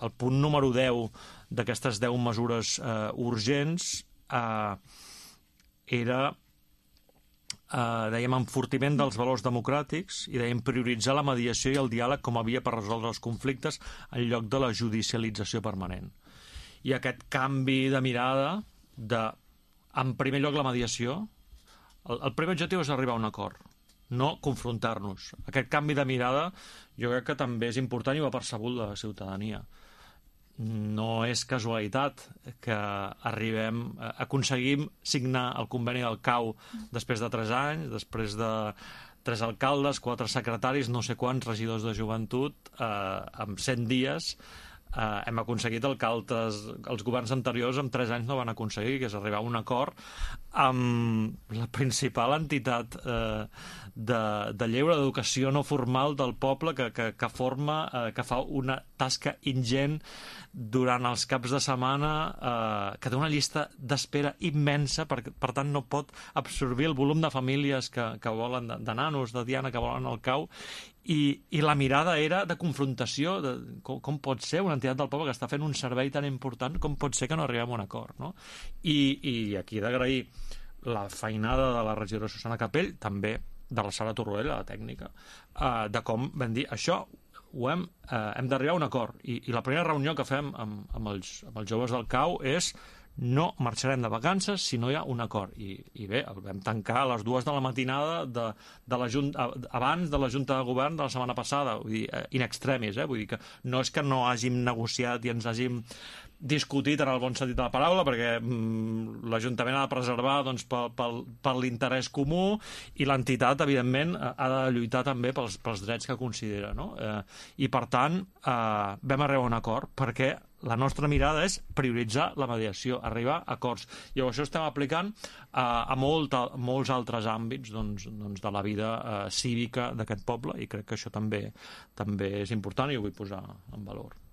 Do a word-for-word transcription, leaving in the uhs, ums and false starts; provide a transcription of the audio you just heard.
el punt número deu d'aquestes deu mesures eh, urgents eh, era, eh, dèiem, enfortiment dels valors democràtics i dèiem prioritzar la mediació i el diàleg com a via per resoldre els conflictes en lloc de la judicialització permanent. I aquest canvi de mirada de, en primer lloc, la mediació, el, el primer objectiu és arribar a un acord, no confrontar-nos. Aquest canvi de mirada jo crec que també és important i ho ha percebut la ciutadania. No és casualitat que arribem, aconseguim signar el conveni del C A U després de tres anys, després de tres alcaldes, quatre secretaris, no sé quants regidors de joventut, eh, en cent dies. Uh, hem aconseguit el que altres, els governs anteriors en tres anys no van aconseguir, que és arribar a un acord amb la principal entitat uh, de, de lleure d'educació no formal del poble que, que, que forma, uh, que fa una tasca ingent durant els caps de setmana, uh, que té una llista d'espera immensa, per, per tant no pot absorbir el volum de famílies que, que volen, de, de nanos, de Diana, que volen el C A U. I, i la mirada era de confrontació, de com, com pot ser una entitat del poble que està fent un servei tan important, com pot ser que no arribem a un acord, no? I, i aquí he d'agrair la feinada de la regidora Susana Capell, també de la Sara Torroella, la tècnica, eh, de com vam dir, això ho hem, eh, hem d'arribar a un acord. I, i la primera reunió que fem amb, amb, els, amb els joves del C A U és no marxarem de vacances si no hi ha un acord. I, i bé, el vam tancar a les dues de la matinada de, de la junta, abans de la Junta de Govern de la setmana passada, vull dir, in extremis, eh? Vull dir que no és que no hàgim negociat i ens hàgim discutit en el bon sentit de la paraula, perquè mm, l'Ajuntament ha de preservar doncs, per, per, per l'interès comú i l'entitat, evidentment, ha de lluitar també pels, pels drets que considera, no? Eh, I, per tant, eh, vam arribar a un acord, perquè la nostra mirada és prioritzar la mediació, arribar a acords. I això estem aplicant eh, a, molt, a molts altres àmbits doncs, doncs de la vida eh, cívica d'aquest poble, i crec que això també també és important i ho vull posar en valor.